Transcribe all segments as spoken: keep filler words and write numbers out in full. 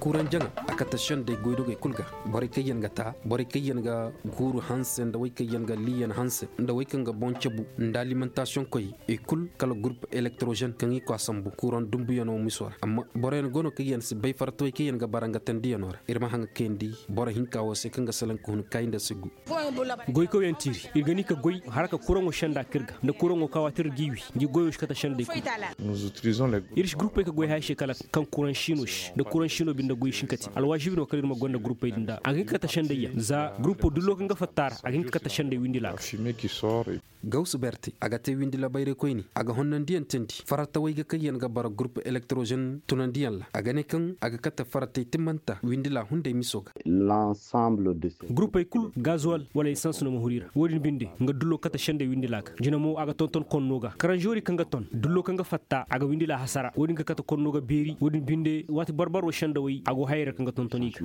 Kuranjaŋa a kate sendey goydogey kulu ga. Borey kaŋ yaŋ ga ta borey kaŋ yaŋ ga guuru hanse nda wey kaŋ yaŋ ga liiyan hanse nda wey kaŋ ga boŋ cabu nda alimantaasiyoŋ koy i kulu kala gurpu elektrozen kaŋ i koy a sambu kuraŋ dumbuyaŋo miso ra amma boroyaŋ go no kaŋ yaŋ si bay fartawey kaŋ yaŋ ga bara nga tandiyano ra iri ma haŋ ga kayandi boro hinka wo se kaŋ ga salaŋ ka hun kaayi nda si gu. Goykawyaŋ tiiri iri ga ni ka goy haraka kuraŋo senda kaŋ iri ga nda kuraŋo kaŋ waati iri g'i wi ngi goyo si kate sendey kulu. Iri si gurupey ka goy haya se kala kaŋ kuraŋ siino se nda kuraŋ siino binde goy si hin ka te alwaasibi no kala iri ma gonda gurupey din da a ga hin ka kate sendey yaŋ za gurupo dullo kaŋ ga fatta a ra a ga hin ka kate sendey windi laaka. Gawsu berte a ga te windila bayraykoyne a ga honnandiyaŋ teendi faratawey ga kaŋ yaŋ ga bara gurpu elektrozen tunandiyaŋ ra a ga ne kaŋ a ga kate faratey timmanta windila hunday miso ga. Gurupey kulu gazuwal wala esans no ma huru i ra wo- din binde nga dullo ga kate sendey windila ga jina mo a ga tonton konno ga karanzori kaŋ ga ton dullo kaŋ ga fatta a ga windila hasara wo- din ga kate konno ga beeri wo- din binde waati barbaro sendawey a go hayey ra kaŋ ga tonton i ga.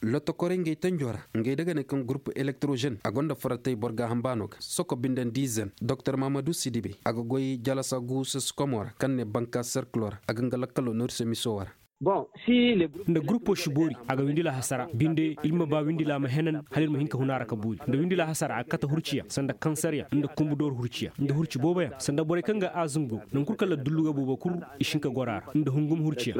Lottokorey ngey tanjo ra ngey da ga ne kaŋ gurpu elektrozen a gonda faratey boro gaaham baano ga soko binde nda izen doktor mahamadu sidibe a ga goy jalasa gu sasikomo ra kaŋ ne banka serkilo ra a ga nga lakkalo noori se miso wo ra. Nda gurpo si boori a ga windila hasara binde iri ma ba windila ma henan hala iri ma hin ka hun a ra ka boori nda windila hasara a ga kate hurciyaŋ sanda kansaryaŋ nda kumbu dooru hurciyaŋ nda hurci booboyaŋ sanda borey kaŋ ga aazum go nangu kulu kaŋ laddullu ga boobo kulu i si hin ka goro a ra nda hungum hurciyaŋ.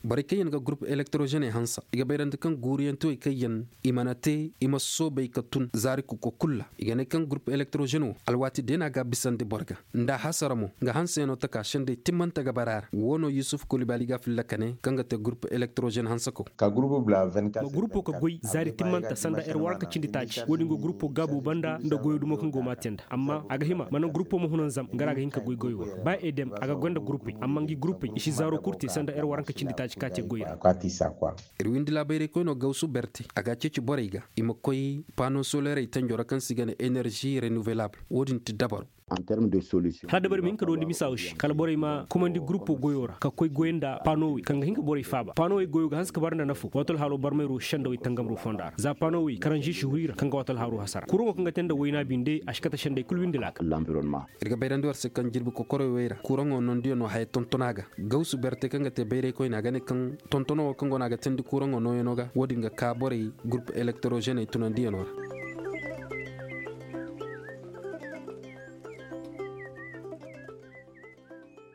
Borey kaŋ yaŋ ga gurpu elektrozeney hanse i ga bayrandi kaŋ guuriyaŋ tewey kaŋ yaŋ i mana te i ma soobay ka tun zaari kuko kulu ra i ga ne kaŋ gurpu elektrozen wo alwaati deena ga a bisandi boro ga nda a hasara mo nga hanseyaŋo taka sendey timmante ga bara a ra wo no yusuf kulibali ga a filla ka ne kaŋ ga te gurpu elektrozen hansako. Ma gurupo ka goy zaari timmante sanda ere waranka cindi taaci wo- din go gurupo gaabo banda nda goyo dumo kaŋ go ma a te nda amma a ga hima mana gurupo ma hunan zam nga ra a ga hin ka goy goyo ra ba edem a ga gonda gurupey amma ngi gurupey i si zaaro kulu te sanda ere waranka cindi taaci ka te goy ra. Iri windi laabayraykoyno gawsu berte a ga a ceeci borey ga i ma koy paano solerey tanjo ra kaŋ se i ga ne enerzi renouvelable wo- din ti dabaro. Hala dabari ma hin ka dondi misa wo se kala borey ma kumandi gurupo goyo ra ka koy goy nda paanowey kaŋ ga hin ka borey faaba paanowey goyo ga hanse ka bara nda nafo waati alhaalo barmayro sendawey tangamro fonda ra za paanowey karanzi si huru i ra kaŋ ga waati alhaalo hasara kuraŋo kaŋ ga te nda wayna binde a si kate sendey kulu windi laaka. Iri ga bayrandi war se kaŋ jirbi kokorey wey ra kuraŋo nondiyaŋo haya tontona ga gawsu berte kaŋ ga te bayraykoyne a ga ne kaŋ tontono wo kaŋ go no a ga teendi kuraŋo nooyaŋo ga wo- din ga ka borey gurpu elektrozeney tunandiyaŋo ra.